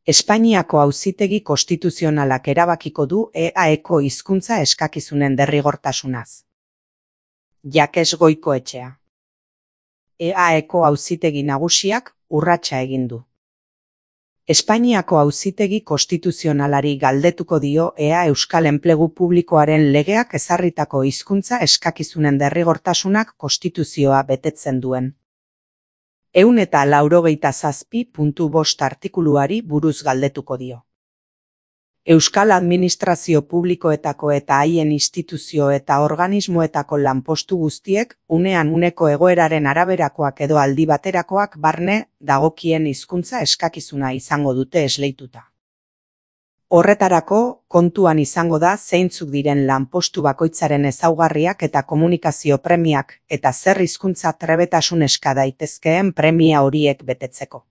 Espainiako Auzitegi Konstituzionalak erabakiko du EAeko hizkuntza eskakizunen derrigortasunaz. Jakes Goikoetxea. EAeko Auzitegi Nagusiak urratsa egin du. Espainiako Auzitegi Konstituzionalari galdetuko dio ea Euskal Enplegu Publikoaren legeak ezarritako hizkuntza eskakizunen derrigortasunak konstituzioa betetzen duen. 197.5 artikuluari buruz galdetuko dio. Euskal Administrazio Publikoetako eta haien instituzio eta organismoetako lanpostu guztiek unean uneko egoeraren araberakoak edo aldi baterakoak barne dagokien hizkuntza eskakizuna izango dute esleituta. Horretarako, kontuan izango da zeintzuk diren lanpostu bakoitzaren ezaugarriak eta komunikazio premiak eta zer hizkuntza trebetasun eska daitezkeen premia horiek betetzeko.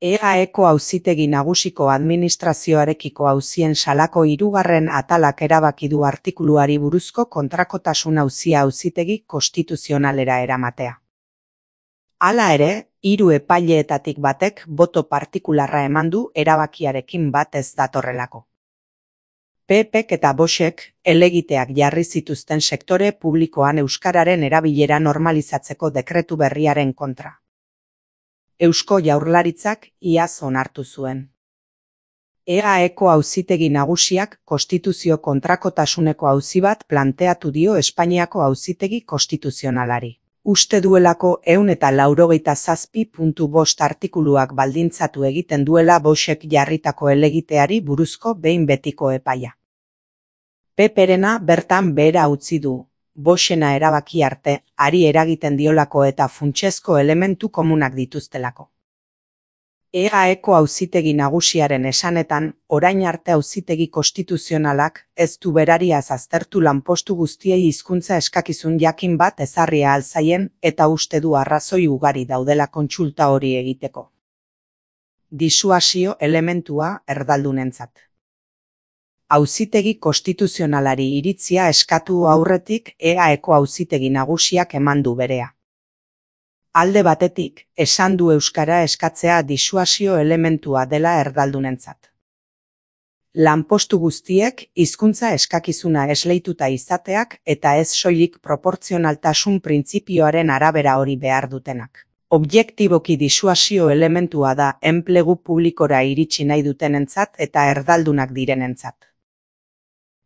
EAeko Auzitegi Nagusiko administrazioarekiko auzien salako 3. atalak erabaki du artikuluari buruzko kontrakotasun auzia Auzitegi Konstituzionalera eramatea. Hala ere, 3 epaileetatik batek boto partikularra eman du erabakiarekin bat ez datorrelako. PPk eta Voxek helegiteak jarri zituzten sektore publikoan euskararen erabilera normalizatzeko dekretu berriaren kontra. Eusko Jaurlaritzak iaz onartu zuen. EAeko Auzitegi Nagusiak konstituzio kontrakotasuneko auzi bat planteatu dio Espainiako Auzitegi Konstituzionalari. Uste duelako 197.5 artikuluak baldintzatu egiten duela Voxek jarritako helegiteari buruzko behin betiko epaia. PPrena bertan behera utzi du. Voxena erabaki arte, ari eragiten diolako eta funtsezko elementu komunak dituztelako. EAeko Auzitegi Nagusiaren esanetan, orain arte Auzitegi Konstituzionalak ez du berariaz aztertu lanpostu guztiei hizkuntza eskakizun jakin bat ezarria alzaien eta uste du arrazoi ugari daudela kontsulta hori egiteko. Disuasio elementua erdaldunentzat. Auzitegi Konstituzionalari iritzia eskatu aurretik EAeko Auzitegi Nagusiak eman du berea. Alde batetik, esan du euskara eskatzea disuasio elementua dela erdaldunentzat. Lanpostu guztiek hizkuntza eskakizuna esleituta izateak eta ez soilik proportzionaltasun printzipioaren arabera hori behar dutenak. Objektiboki disuasio elementua da enplegu publikora iritsi nahi dutenentzat eta erdaldunak direnentzat.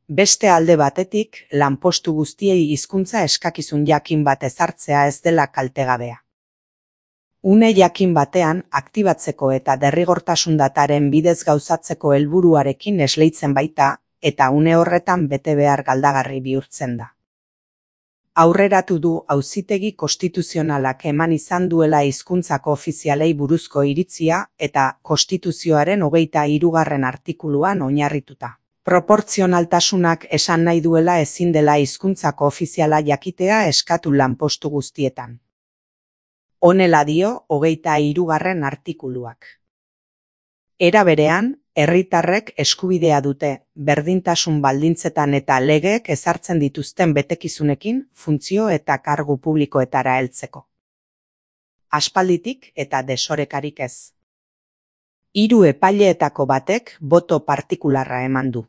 Beste alde batetik, lanpostu guztiei hizkuntza eskakizun jakin bat ezartzea ez dela kaltegabea. Une jakin batean, aktibatzeko eta derrigortasun dataren bidez gauzatzeko helburuarekin esleitzen baita, eta une horretan bete behar galdagarri bihurtzen da. Aurreratu du Auzitegi Konstituzionalak eman izan duela hizkuntzako ofizialei buruzko iritzia eta Konstituzioaren 23. artikuluan oinarrituta. Proportzionaltasunak esan nahi duela ezin dela hizkuntzako ofiziala jakitea eskatu lanpostu guztietan. Honela dio 23. artikuluak. Era berean, herritarrek eskubidea dute, berdintasun baldintzetan eta legeek ezartzen dituzten betekizunekin, funtzio eta kargu publikoetara heltzeko. Aspalditik eta desorekarik ez. 3 epaileetako batek boto partikularra eman du.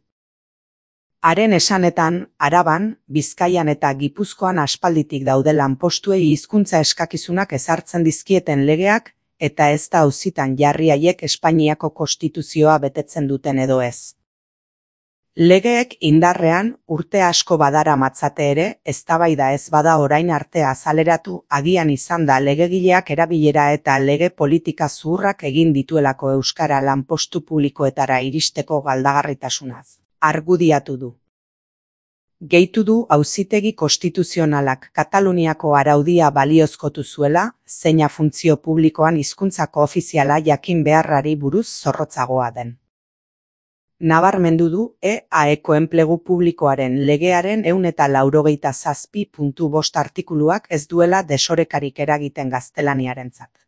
Haren esanetan, Araban, Bizkaian eta Gipuzkoan aspalditik daude lanpostuei hizkuntza eskakizunak ezartzen dizkieten legeak, eta ez da auzitan jarri haiek Espainiako konstituzioa betetzen duten edo ez. Legeek indarrean urte asko badaramatzate ere, eztabaida ez bada orain arte azaleratu agian izan da legegileak erabilera eta lege politika zuhurrak egin dituelako euskara lanpostu publikoetara iristeko galdagarritasunaz. Argudiatu du. Gehitu du Auzitegi Konstituzionalak Kataluniako araudia baliozkotu zuela, zeina funtzio publikoan hizkuntzako ofiziala jakin beharrari buruz zorrotzagoa den. Nabarmendu du EAeko Enplegu Publikoaren legearen 197.5 artikuluak ez duela desorekarik eragiten gaztelaniarentzat.